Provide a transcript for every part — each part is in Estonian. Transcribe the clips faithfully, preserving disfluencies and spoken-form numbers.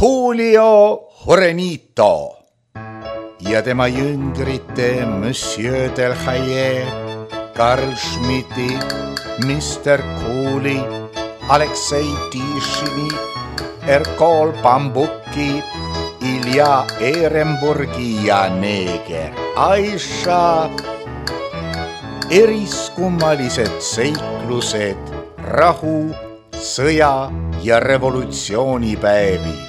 Julio Jurenito ja tema jüngrite Monsieur Delhaye, Karl Schmidti, mister Cooley, Aleksei Tišini, Erkol Bambuki, Ilja Ehrenburgi ja neeger Aisha. Eriskummalised seiklused rahu, sõja ja revolutsioonipäevil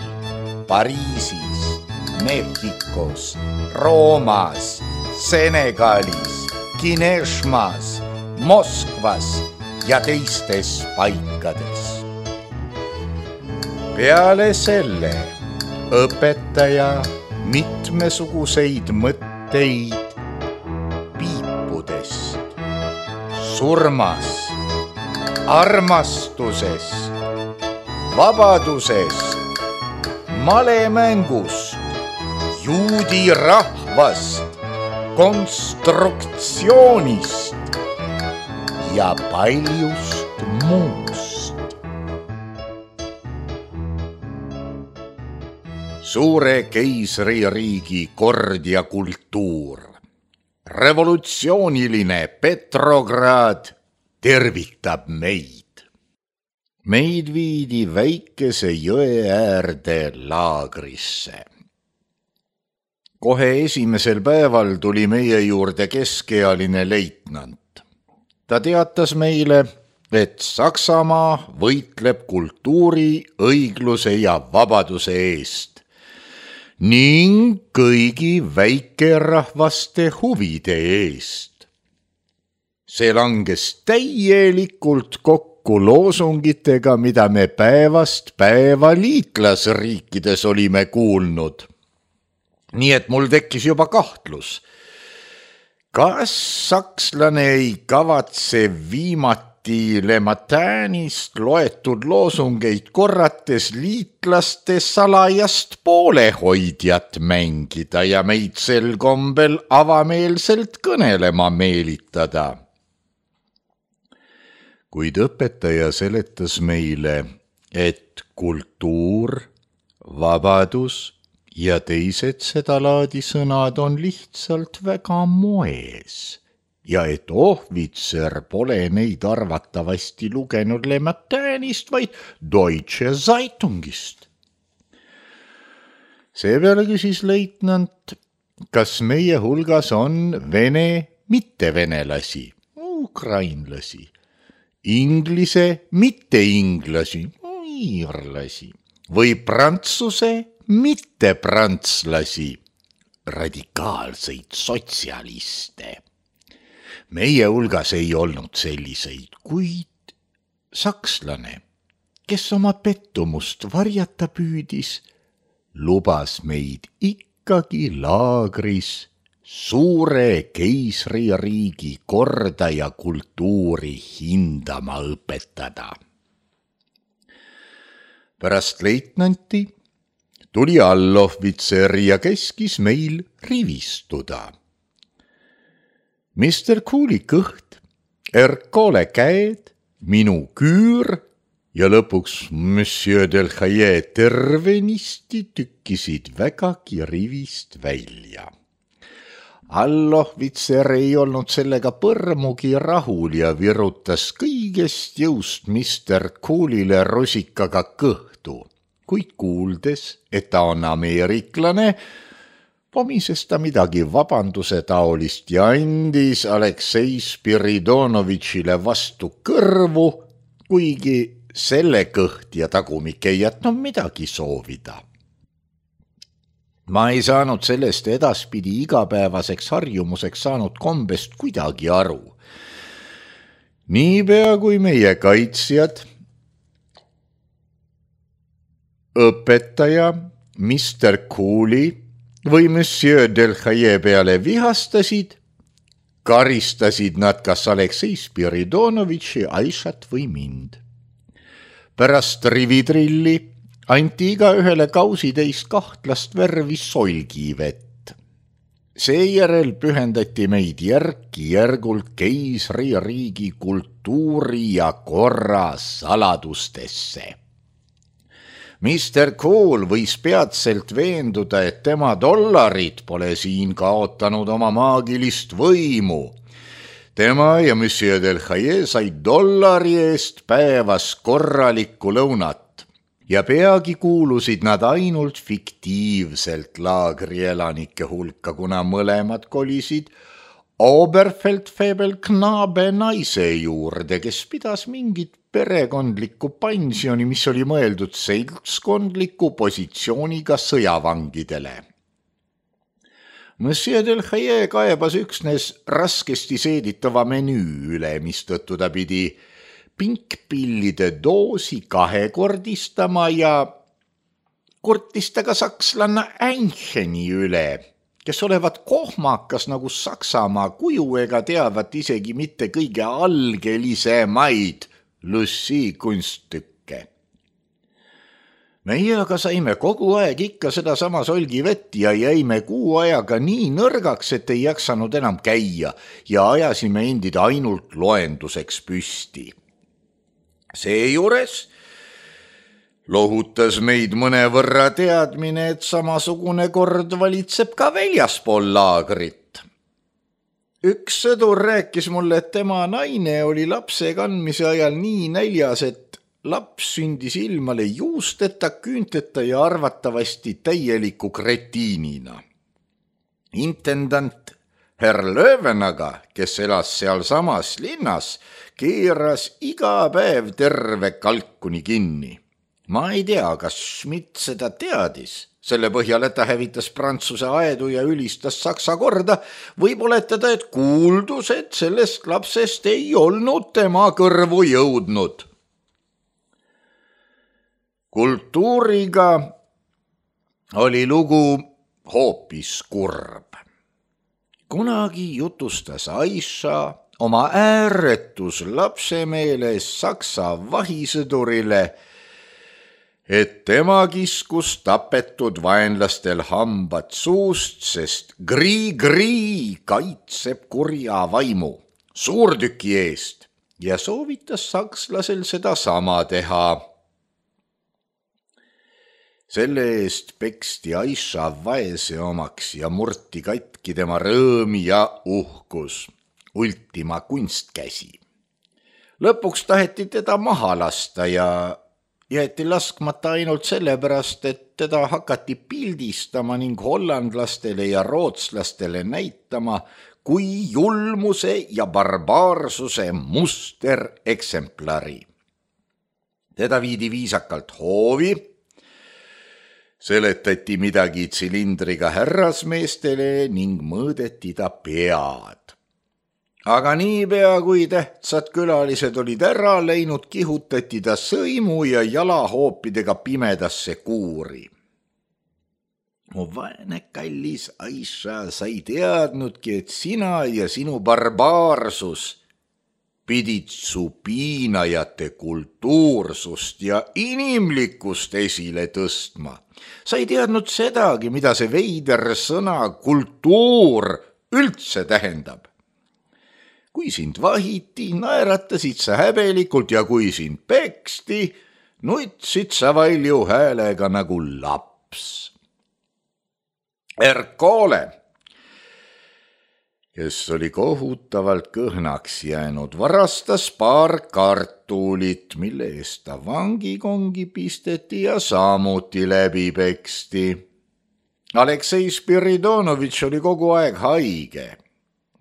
Pariisis, Mehhikos, Roomas, Senegalis, Kineshmas, Moskvas ja teistes paikades. Peale selle õpetaja mitmesuguseid mõtteid piipudest, surmast, armastusest, vabadusest, malemängust, juudi rahvast, konstruktsioonist ja paljust muust. Suure keisririigi kord ja kultuur, revolutsiooniline Petrograd tervitab meid. Meid viidi väikese jõe äärde laagrisse. Kohe esimesel päeval tuli meie juurde keskealine leitnant. Ta teatas meile, et Saksamaa võitleb kultuuri, õigluse ja vabaduse eest ning kõigi väikerahvaste huvide eest. See langes täielikult kokku loosungitega, mida me päevast päeva liitlasriikides olime kuulnud. Nii et mul tekkis juba kahtlus. Kas sakslane ei kavatse viimati Le Matinist loetud loosungeid korrates liitlaste salajast poolehoidjat mängida ja meid sel kombel avameelselt kõnelema meelitada? Kuid õpetaja seletas meile, et kultuur, vabadus ja teised seda laadi sõnad on lihtsalt väga moes ja et ohvitser pole neid arvatavasti lugenud Le Matinist, vaid Deutsche Zeitungist. Seepeale küsis leitnant, kas meie hulgas on vene mittevenelasi, ukrainlasi, inglise mitteinglasi, iirlasi või prantsuse mittepranslasi, radikaalseid sotsialiste. Meie hulgas ei olnud selliseid, kuid sakslane, kes oma pettumust varjata püüdis, lubas meid ikkagi laagris suure keisririigi korda ja kultuuri hindama õpetada. Pärast leitnanti tuli allohvitser ja keskis meil rivistuda. mister Cooley kõht, Erkole käed, minu küür ja lõpuks Monsieur Delhaye tervenisti tükkisid vägagi rivist välja. Allohvitser ei olnud sellega põrmugi rahul ja virutas kõigest jõust mister Cooley'le rusikaga kõhtu, kuid kuuldes, et ta on ameeriklane, pomises ta midagi vabanduse taolist ja andis Aleksei Spiridonovitšile vastu kõrvu, kuigi selle kõht ja tagumik ei jätnud midagi soovida. Ma ei saanud sellest edaspidi igapäevaseks harjumuseks saanud kombest kuidagi aru. Niipea kui meie kaitsjad, õpetaja, mister Cooley või Monsieur Delhaye peale vihastasid, karistasid nad kas Aleksei Spiridonovitši, Aishat või mind. Pärast rivitrilli anti iga ühele kausitäis kahtlast värvi solgivett. Seejärel pühendati meid järk-järgult keisririigi kultuuri ja korra saladustesse. mister Cool võis peatselt veenduda, et tema dollarid pole siin kaotanud oma maagilist võimu. Tema ja Monsieur Delhaye said dollari eest päevas korralikku lõunat ja peagi kuulusid nad ainult fiktiivselt laagrielanike hulka, kuna mõlemad kolisid Oberfeldfebel Knabe naise juurde, kes pidas mingit perekondlikku pensioni, mis oli mõeldud seltskondliku positsiooniga sõjavangidele. Monsieur Delhaye kaebas üksnes raskesti seeditava menüü üle, mistõttu ta pidi pinkpillide doosi kahekordistama ja kurtis ta ka sakslanna Eincheni üle, kes olevat kohmakas nagu Saksamaa kuju ega teavat isegi mitte kõige algelisemaid Lucy kunststükke. Meie aga saime kogu aeg ikka seda sama solgivett ja jäime kuu ajaga nii nõrgaks, et ei jaksanud enam käia ja ajasime endid ainult loenduseks püsti. Seejuures lohutas meid mõnevõrra teadmine, et samasugune kord valitseb ka väljaspool laagrit. Üks sõdur rääkis mulle, et tema naine oli lapse kandmise ajal nii näljas, et laps sündis ilmale juusteta, küünteta ja arvatavasti täieliku kretiinina. Intendant Herr Löwenaga, kes elas seal samas linnas, keeras iga päev terve kalkuni kinni. Ma ei tea, kas Schmidt seda teadis. Selle põhjal, et ta hävitas Prantsuse aedu ja ülistas Saksa korda, võib oletada, et kuuldus, et sellest lapsest ei olnud tema kõrvu jõudnud. Kultuuriga oli lugu hoopis kurb. Kunagi jutustas Aisha oma ääretus lapsemeeles Saksa vahisõdurile, et tema kiskus tapetud vaenlastel hambad suust, sest grii-grii kaitseb kurja vaimu suurtüki eest ja soovitas sakslasel seda sama teha. Selle eest peksti Aisha vaese omaks ja murti katki tema rõõm ja uhkus, ultima kunstkäsi. Lõpuks taheti teda maha lasta ja jäeti laskmata ainult sellepärast, et teda hakati pildistama ning hollandlastele ja rootslastele näitama kui julmuse ja barbaarsuse mustereksemplari. Teda viidi viisakalt hoovi, seletati midagi tsilindriga härrasmeestele ning mõõdeti ta pead. Aga niipea, kui tähtsad külalised olid ära läinud, kihutati ta sõimu ja jalahoopidega pimedasse kuuri. Mu vaene kallis Aisha, sa ei teadnudki, et sina ja sinu barbaarsus pidid su piinajate kultuursust ja inimlikkust esile tõstma. Sa ei teadnud sedagi, mida see veider sõna kultuur üldse tähendab. Kui sind vahiti, naeratasid sa häbelikult ja kui sind peksti, nutsid sa valju häälega nagu laps. Erkole, kes oli kohutavalt kõhnaks jäänud, varastas paar kartulit, mille eest ta vangikongi pisteti ja samuti läbi peksti. Aleksei Spiridonovitš oli kogu aeg haige.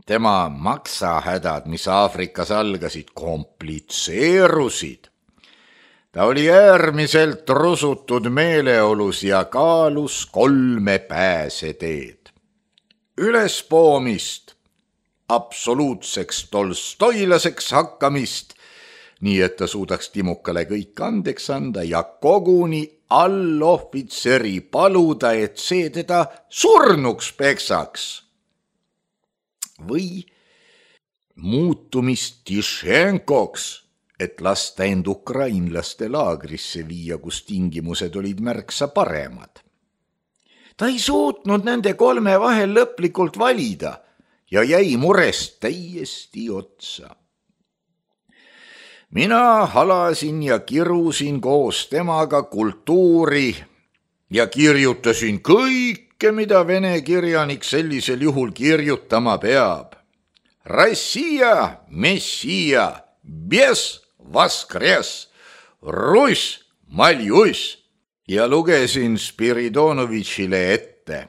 Tema maksahädad, mis Aafrikas algasid, komplitseerusid. Ta oli äärmiselt rusutud meeleolus ja kaalus kolme pääseteed. Ülespoomist, absoluutseks tolstoilaseks hakkamist, nii et ta suudaks Timukale kõik andeks anda ja koguni allohvitseri paluda, et see teda surnuks peksaks. Või muutumist Tišenkoks, et lasta end ukrainlaste laagrisse viia, kus tingimused olid märksa paremad. Ta ei suutnud nende kolme vahel lõplikult valida ja jäi murest täiesti otsa. mina halasin ja kirusin koos temaga kultuuri ja kirjutasin kõike, mida vene kirjanik sellisel juhul kirjutama peab. Россия, Мессия, без воскрес, Russ, Maljuss ja lugesin Spiridonovitšile ette.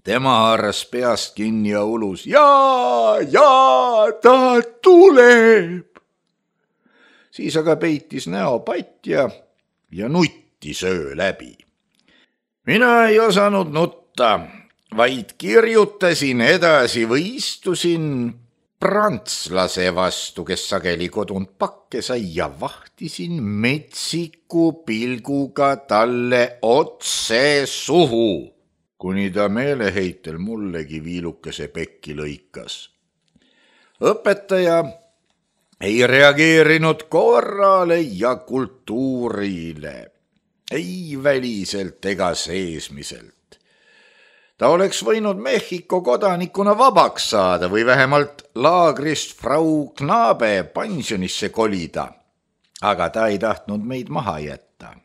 Tema haaras peast kinni ja ulus, jaa, jaa, ta tuleb. Siis aga peitis näo patja ja nuttis öö läbi. Mina ei osanud nutta, vaid kirjutasin edasi või istusin prantslase vastu, kes sageli kodunt pakke sai ja vahtisin metsiku pilguga talle otse suhu, kuni ta meeleheitel mullegi viilukese pekki lõikas. Õpetaja ei reageerinud korrale ja kultuurile, ei väliselt ega seesmiselt. Ta oleks võinud Mehhiko kodanikuna vabaks saada või vähemalt laagrist Frau Knabe pensionisse kolida, aga ta ei tahtnud meid maha jätta.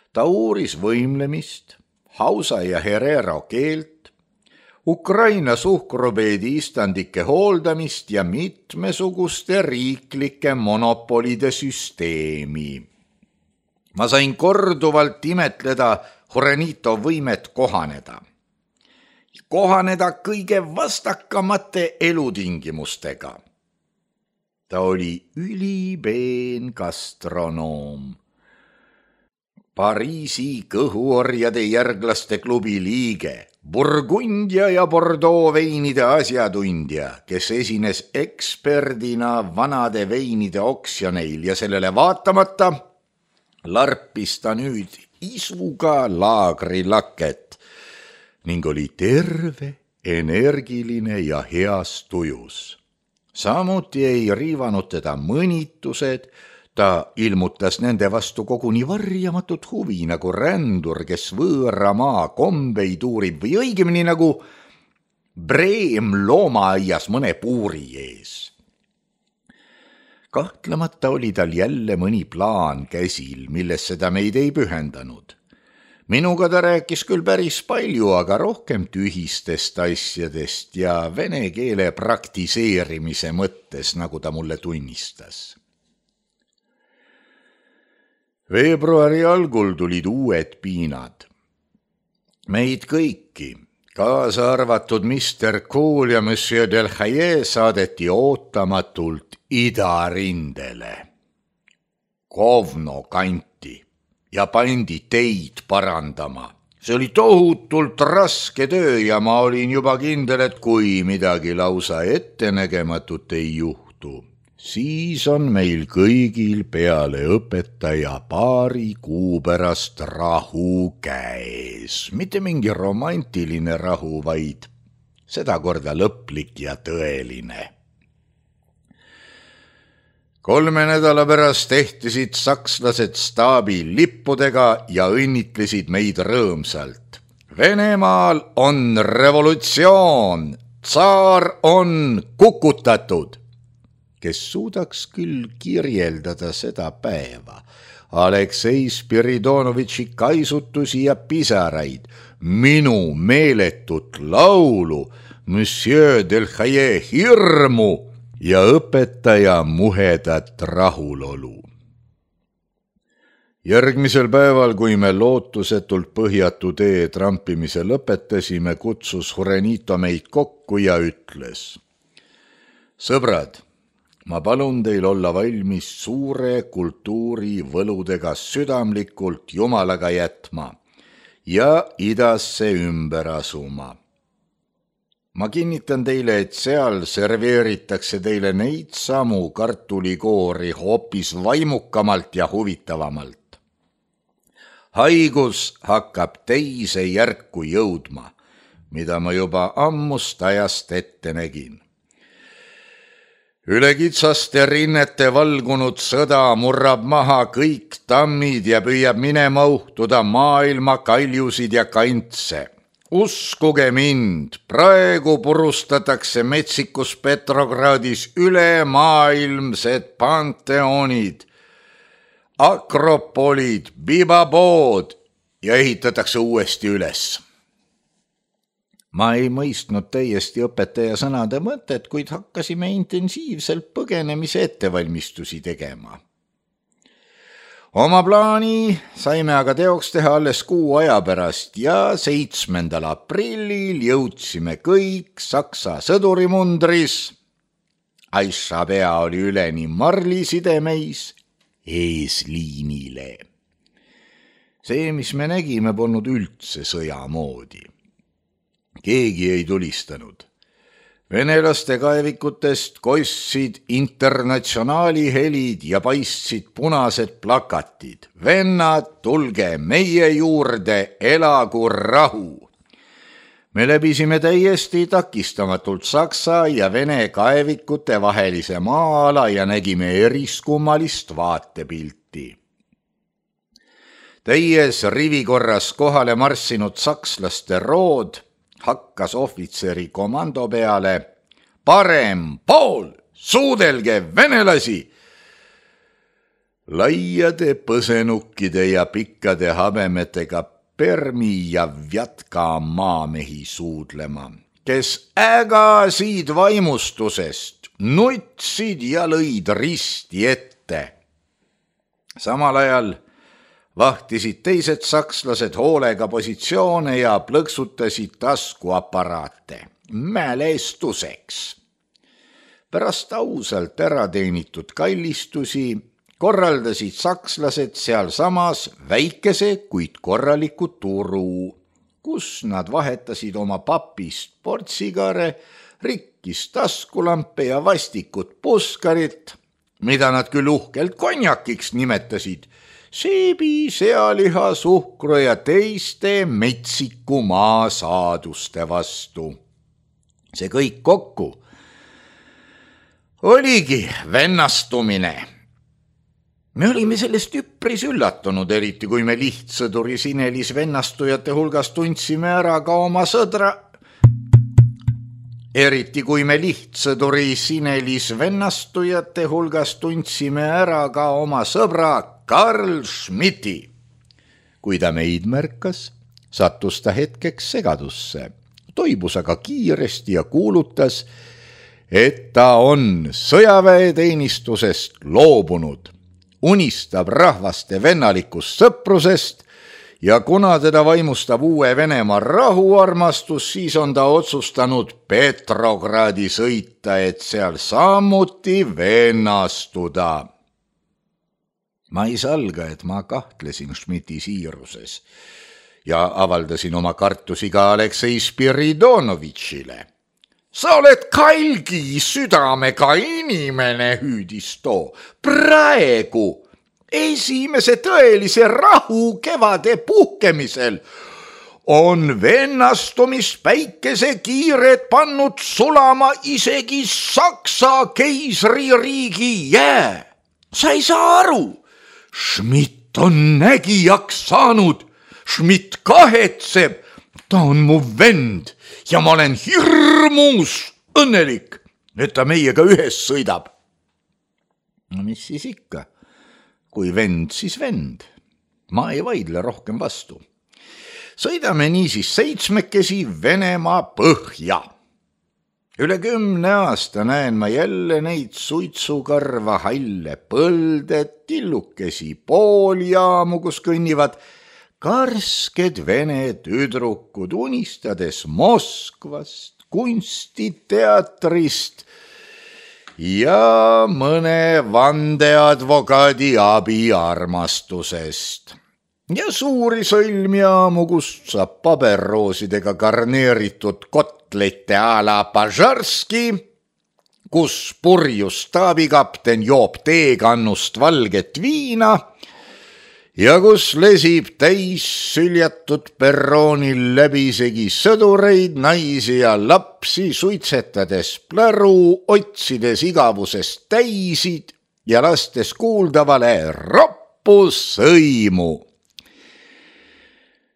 Ta uuris võimlemist, hausa ja herero keelt, Ukraina suhkrubeedi istandike hooldamist ja mitmesuguste riiklike monopolide süsteemi. Ma sain korduvalt imetleda Jurenito võimet kohaneda. Kohaneda kõige vastakamate elutingimustega. Ta oli ülipeen gastronoom. Pariisi kõhuorjade järglaste klubi liige, Burgundia ja Bordeaux veinide asjatundja, kes esines eksperdina vanade veinide oksjoneil ja sellele vaatamata larpis ta nüüd isuga laagrilaket ning oli terve, energiline ja heas tujus. Samuti ei riivanud teda mõnitused, ta ilmutas nende vastu koguni varjamatut huvi nagu rändur, kes võõra maa kombeid uurib või õigemini nagu breem loomaaias mõne puuri ees. Kahtlemata oli tal jälle mõni plaan käsil, millesse ta meid ei pühendanud. Minuga ta rääkis küll päris palju, aga rohkem tühistest asjadest ja vene keele praktiseerimise mõttes, nagu ta mulle tunnistas. Veebruari algul tulid uued piinad. Meid kõiki, kaasa arvatud mister Kool ja monsieur Delhaye saadeti ootamatult idarindele, Kovno kanti ja pandi teid parandama. See oli tohutult raske töö ja ma olin juba kindel, et kui midagi lausa ettenägematut ei juhtu, siis on meil kõigil peale õpetaja paari kuu pärast rahu käes. Mitte mingi romantiline rahu, vaid sedakorda lõplik ja tõeline. Kolme nädala pärast ehtisid sakslased staabi lippudega ja õnnitlesid meid rõõmsalt. Venemaal on revolutsioon, tsaar on kukutatud. Kes suudaks küll kirjeldada seda päeva, Aleksei Spiridonovitši kaisutusi ja pisaraid, minu meeletut laulu, monsieur Delhaye hirmu ja õpetaja muhedat rahulolu. Järgmisel päeval, kui me lootusetult põhjatu tee trampimise lõpetasime, kutsus Jurenito meid kokku ja ütles: sõbrad, ma palun teil olla valmis suure kultuuri võludega südamlikult Jumalaga jätma ja idasse ümber asuma. Ma kinnitan teile, et seal serveeritakse teile neid samu kartulikoori hoopis vaimukamalt ja huvitavamalt. Haigus hakkab teise järku jõudma, mida ma juba ammust ajast ette nägin. Üle kitsaste rinnete valgunud sõda murrab maha kõik tammid ja püüab minema uhtuda maailma kaljusid ja kantse. Uskuge mind, praegu purustatakse metsikus Petrogradis ülemaailmsed panteonid, akropolid, bibabood ja ehitatakse uuesti üles. Ma ei mõistnud täiesti õpetaja sõnade mõtet, kuid hakkasime intensiivselt põgenemise ettevalmistusi tegema. Oma plaani saime aga teoks teha alles kuu aja pärast ja seitsmendal aprillil jõudsime kõik Saksa sõdurimundris. Aisha pea oli üleni marlisidemeis eesliinile. See, mis me nägime, polnud üldse sõja moodi. Keegi ei tulistanud. Venelaste kaevikutest kossid internatsionaali helid ja paistsid punased plakatid. Vennad, tulge meie juurde, elagu rahu. Me läbisime täiesti takistamatult Saksa ja Vene kaevikute vahelise maa-ala ja nägime eriskummalist vaatepilti. Täies rivikorras kohale marssinud sakslaste rood hakkas ohvitseri komando peale. Parem pool, suudelge venelasi! Laiade põsenukkide ja pikkade habemetega Permi ja Vjatka maamehi suudlema, kes ägasid vaimustusest, nutsid ja lõid risti ette. Samal ajal vahtisid teised sakslased hoolega positsioone ja plõksutasid taskuaparaate mälestuseks. Pärast ausalt ära teenitud kallistusi korraldasid sakslased seal samas väikese, kuid korraliku turu, kus nad vahetasid oma papist portsigare, rikkis taskulampe ja vastikut puskarit, mida nad küll uhkelt konjakiks nimetasid, seebi, sealiha, suhkru ja teiste metsiku maa saaduste vastu. See kõik kokku oligi vennastumine. Me olime sellest üpris üllatunud, eriti kui me lihtsõduri Sinelis vennastujate hulgas tundsime ära ka oma sõdra. Eriti kui me lihtsõduri Sinelis vennastujate hulgas tundsime ära ka oma sõbra Karl Schmidti. Kui ta meid märkas, sattus ta hetkeks segadusse, toibus aga kiiresti ja kuulutas, et ta on sõjaväeteenistusest loobunud, unistab rahvaste vennalikust sõprusest ja kuna teda vaimustab uue Venemaa rahuarmastus, siis on ta otsustanud Petrogradi sõita, et seal samuti vennastuda. Ma ei salga, et ma kahtlesin Schmidti siiruses ja avaldasin oma kartusi ka Aleksei Spiridonovitšile. Sa oled kalgi südamega inimene, hüüdis too. Praegu, esimese tõelise rahu kevade puhkemisel, on vennastumist päikese kiired pannud sulama isegi Saksa keisririigi jää. Sa ei saa aru, Schmidt on nägijaks saanud, Schmidt kahetseb, ta on mu vend ja ma olen hirmus õnnelik, et ta meiega ühes sõidab. No mis siis ikka? Kui vend, siis vend. Ma ei vaidle rohkem vastu. Sõidame niisiis seitsmekesi Venemaa põhja. Üle kümne aasta näen ma jälle neid suitsukarva halle põlde, tillukesi pooljaamu, kus kõnnivad karsked vene tüdrukud, unistades Moskvast, kunstiteatrist ja mõne vandeadvokaadi abiarmastusest. Ja suuri sõlmjaamu, kust saab paberroosidega garneeritud kotlette a la Pažarski, kus purjus staabikapten joob teekannust valget viina ja kus lesib täis süljatud perroonil läbisegi sõdureid, naisi ja lapsi, suitsetades pläru, otsides igavusest täisid ja lastes kuuldavale roppu sõimu.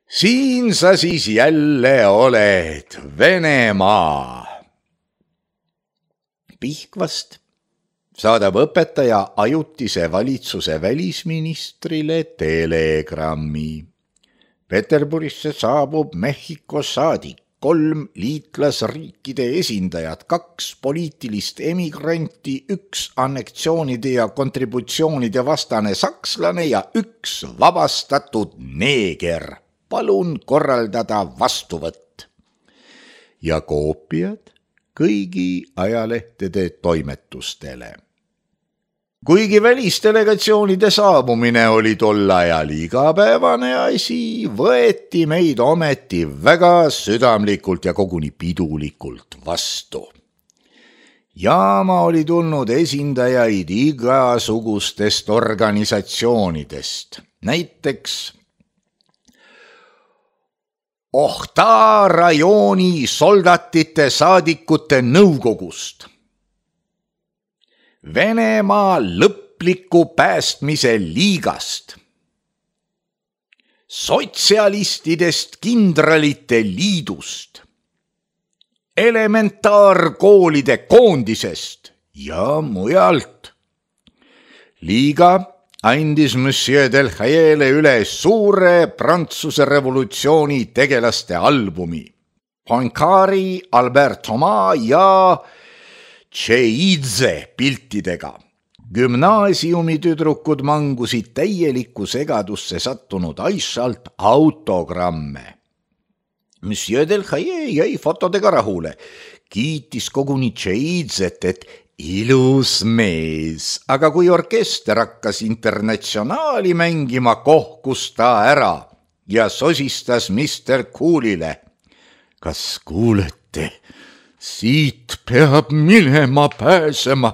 siin sa siis jälle oled, Venemaa. Pihkvast saadab õpetaja ajutise valitsuse välisministrile telegrammi. Peterburisse saabub Mehhiko saadik, kolm liitlasriikide esindajad, kaks poliitilist emigranti, üks anneksioonide ja kontributsioonide vastane sakslane ja üks vabastatud neeger. Palun korraldada vastuvõtt. Ja koopiad kõigi ajalehtede toimetustele. Kuigi välisdelegatsioonide saabumine oli tol ajal igapäevane asi, võeti meid ometi väga südamlikult ja koguni pidulikult vastu. Jaama oli tulnud esindajaid igasugustest organisatsioonidest, näiteks Ohta rajooni soldatite saadikute nõukogust, Venemaa lõpliku päästmise liigast, sotsialistidest kindralite liidust, elementaarkoolide koondisest ja mujalt. Liiga andis Monsieur Delhaiele üle suure Prantsuse revolutsiooni tegelaste albumi. Poincaré, Albert Thomas ja Tšeidze piltidega. Gümnaasiumi tüdrukud mangusid täielikku segadusse sattunud Aishalt autogramme. Monsieur Delhaie jäi fotodega rahule, kiitis koguni Tšeidzet, et ilus mees, aga kui orkester hakkas Internatsionaali mängima, kohkus ta ära ja sosistas mister Coolile. Kas kuulete? Siit peab minema pääsema.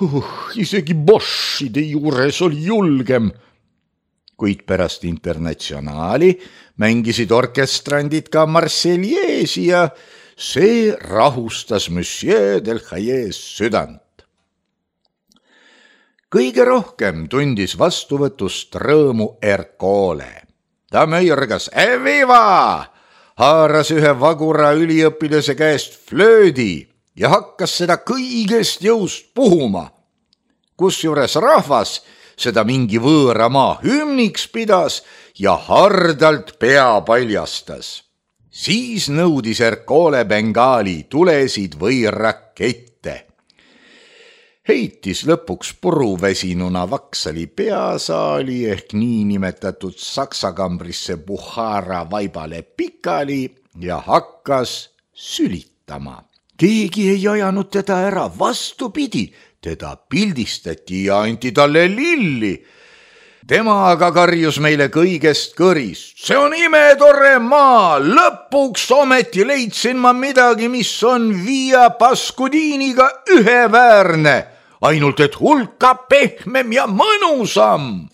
Uh, isegi Boschide juures oli julgem. Kuid pärast Internatsionaali mängisid orkestrandid ka Marseljeesi ja see rahustas Monsieur Delhaies südant. Kõige rohkem tundis vastuvõtust rõõmu Ercole. Ta möirgas Eviva! Haaras ühe vagura üliõpilase käest flöödi ja hakkas seda kõigest jõust puhuma. Kusjuures rahvas seda mingi võõra maa hümniks pidas ja hardalt pea paljastas. Siis nõudis Ercole Bengaali tulesid või rakette. Heitis lõpuks puruvesinuna Vaksali peasaali ehk niinimetatud saksakambrisse Buhara vaibale pikali ja hakkas sülitama. Keegi ei ajanud teda ära, vastupidi, teda pildistati ja anti talle lilli. Tema aga karjus meile kõigest kõrist. See on imetore maa, lõpuks ometi leidsin ma midagi, mis on Via Pascudiniga üheväärne, ainult et hulka pehmem ja mõnusam.